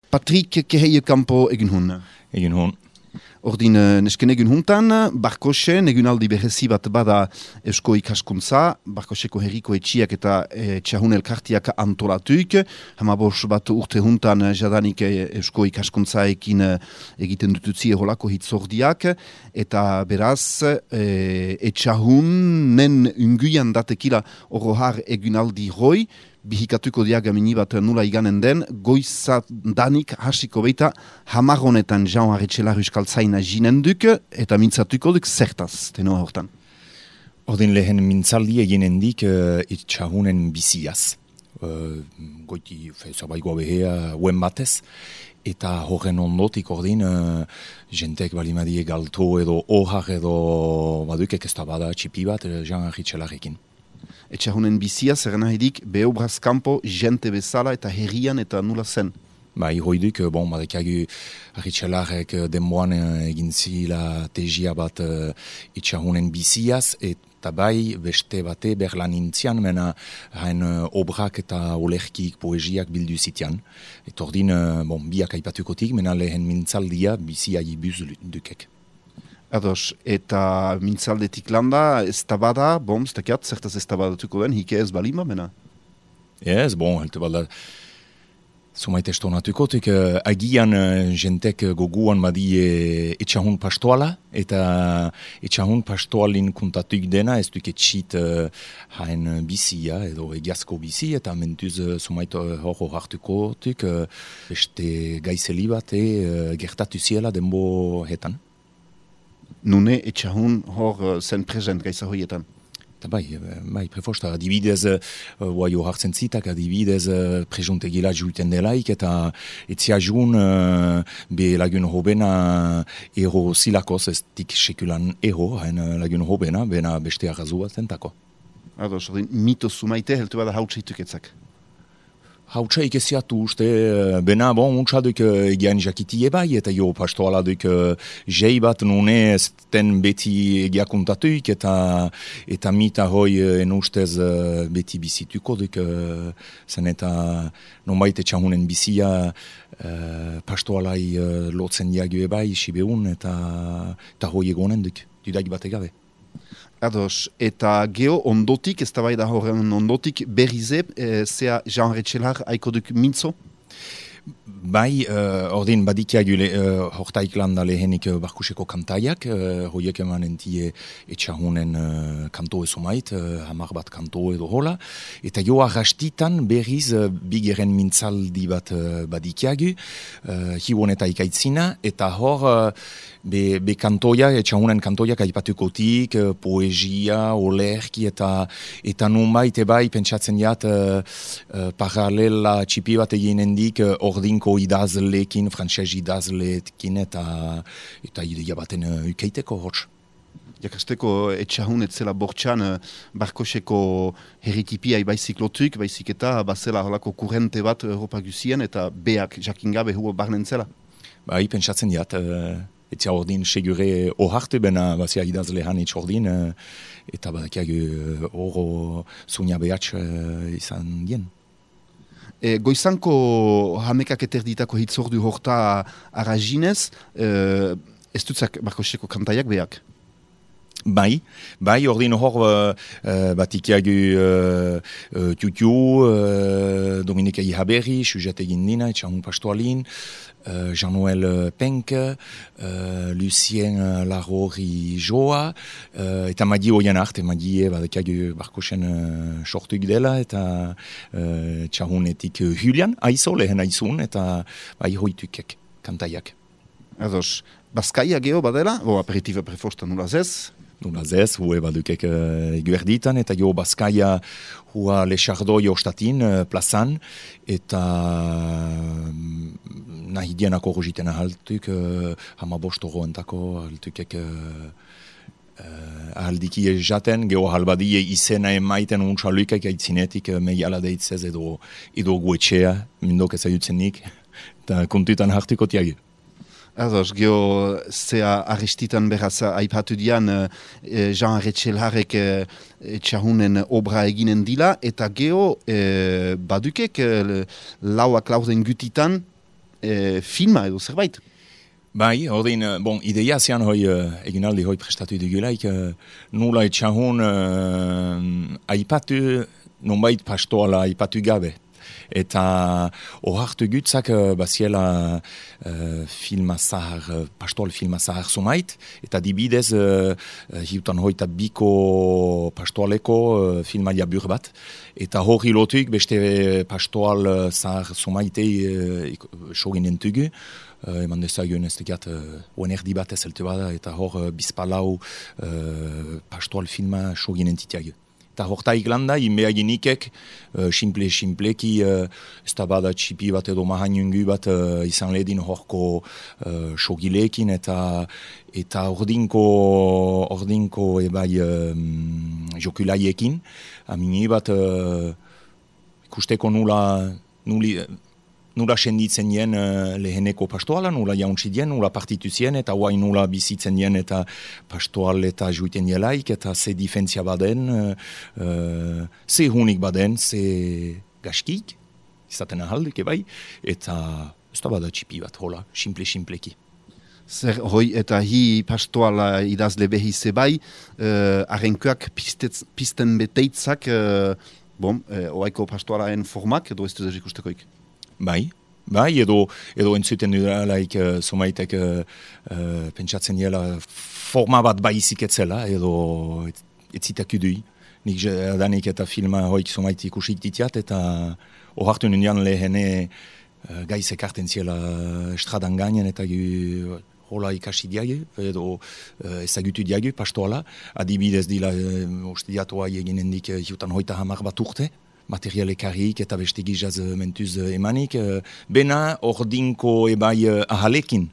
Patrick Keheie Campo egin hun. Egin hon. Ordin nesken egun huntan, Barkosen egunaldi berezi bat bada Eusko ikaskuntza, Barkoseko herriko etxiak eta txahun elkartiak antolatuik, hamabos bat urte huntan jadanik Eusko ikaskuntzaekin egiten dututzi eholako hitzordiak, eta beraz etxahunen unguian datekila orohar egunaldi roi, bihikatuko diagamini bat nula iganen den, goizadanik hasiko beita hamarronetan Jean Arretxelar Euskaltzaina jinenduk, eta mintzatuko duk zertaz, tenoa hortan. Ordin lehen mintzaldi eginen dik itxahunen biziaz. Goiti zabaigoa behea uen batez, eta horren ondotik ordin jentek balimadie galto edo ohar edo badukek ez da bada txipi bat Jean Arretxelarekin. Etxahunen bizia, zer nahidik, behobraz kanpo, jente bezala eta herrian eta nula zen. Bai, hoiduk, badekagu Arretxelarek denboan egin zila tegia bat etxahunen biziaz, eta bai beste bate berlan intzian, mena hain obrak eta olerkik poesiak bildu zitian. Eta ordin, biak aipatukotik, mena lehen mintzaldia bizia ibuz dukek. Ados, eta mintzaldetik landa, ez da bada, ez dakiat, zertaz ez da badatuko den, hike ez balima, mena? Ez, helte balda, sumaite estonatukotik, agian jentek goguan badie etxahun pastoala, eta etxahun pastoalin kuntatuik dena, ez duk etxit hain bizia, edo egiazko bizi, eta mentuz sumaite hor hartukotik, beste gaizeli bat gertatu ziela denbo hetan. Nune etxahun hor zen present gaisa hoietan. Eta bai, prefosta, adibidez, jo hartzen zitak, adibidez, presuntegila juiten delaik, eta etziajun be lagun hobena ero zilakoz, ez dik sekulan ero, hain lagun hobena, bena beste arrazu bat zentako. Ados, mito sumaite, heltu bada hautsaituk etzak. Hautsa ikeziatu uste, bena untsaduk egian jakitie bai, eta jo pastoala duk jei bat nune ezten beti egiakuntatuik, eta mita hoi en ustez beti bizituko duk, zen eta nonbait etxahunen bizia pastoalai lotzen diague bai, sibeun, eta hoi egonen duk, dudaik bat egabe. Ados, eta geho ondotik, ez da bai da horren ondotik, berrize, zea Jean Arretxelar haiko duk mintzo? Bai, ordin badikiagu hortaik landa lehenik Barkuseko kantaiak, hoiek emanen die etxahunen kanto ezomait, hamar bat kanto edo hola, eta jo arrastitan berriz bigeren mintzaldi bat badikiagu, hibon eta ikaitzina, eta hor be kantoia, etxahunen kantoiak aipatukotik, poesia, olerki, eta nunbait ebai pentsatzen jat paralela txipi bat eginen dik ordinko idazlekin, frantxez idazlekin, eta ideia baten ukeiteko hotz. Jakasteko etxahun etzela bortxan Barkoseko herritipia baizik lotuik, baizik eta bazela holako kurrente bat Europa guzien, eta beak jakingabe huo barnentzela. Bai, pentsatzen jat, etzia ordin segure oharte bena bazia idazle hanitz ordin, eta badakiagu oro zunia behatx izan dien. Goizanko hamekak eterditako hitzordu horta arrazinez, ez dutzak Barkoseko kantaiak beak? Bai, ordin hor batikiagu Tutu, Dominika Ihaberri, Sujat egin dina, etxahun pastoalin, Jean-Noël Penk, Lucien Larori Joa, eta madi oian arte, madi badakiagu Barkosen sortuk dela, eta txahunetik Julian, aizo lehen aizun, eta bai hoitukek kantaiak. Ados, Baskaia geho badela, aperitiba prefosta nula zez? Nula zez, hue badukek eguerditan, eta jo Baskaia hua lexardoi ostatin plazan, eta nahi dienako rogiten ahaltuk, hamabostoro entako ahaltukek ahaldiki jaten, geho halbadie izena emaiten untxalukek aitzinetik meiala deitzez edo guetxea, mindok ezaiutzenik, eta kontutan hartuko tiagi. Ados, geho zea arrestitan beraz aipatu dian Jean Arretxelarek txahunen obra eginen dila, eta geho badukek lauak lauzen gutitan filma edo zerbait. Bai, ordin, ideia zean hoi, eginaldi hoi prestatu dugulaik, nula etxahun aipatu, nonbait pastoala aipatu gabe. Eta ohartu gutzak baziela filma zahar, pastoal filma zahar sumait, eta dibidez hiutan hoita biko pastoaleko filma jabur bat. Eta hori lotuik beste pastoal zahar sumaitei sogin entugu. Eman dezagun ez tekiat oenerdi bat ezelte bada, eta hor bizpalau pastoal filma sogin entitiagu. Eta hortaik landa, inbeaginikek, simpleki, ez da bada txipi bat edo mahainungu bat izan ledin horko sogilekin, eta ordinko ebai jokulaiekin, amini bat ikusteko nula senditzen jen leheneko pastoala, nula jauntzi dien, nula partitu zien, eta guai nula bizitzen jen, eta pastoal eta juiten jelaik, eta ze difentzia baden, ze hunik baden, ze gaskik, izaten ahaldik ebai, eta ez da bada txipi bat, hola, simpleki. Zer, hoi, eta hi pastoala idazle behi zebai, arrenkoak pisten beteitzak, oaiko pastoalaen formak, edo ez dut ikustekoik? Bai, edo entzuten dudalaik somaitek pentsatzen dela forma bat baizik etzela, edo etzitak udui. Nik danik eta filma hoik somait ikusik ditiat, eta ohartu nindian lehene gaizek arten ziela estradan gainen, eta hola ikasi diage, edo ezagutu diage pastoala. Adibidez dila uste diatoa eginen dik hiutan hoita 10 bat urte, materialekarrik eta beste gizaz mentuz emanik, bena ordinko ebai ahalekin.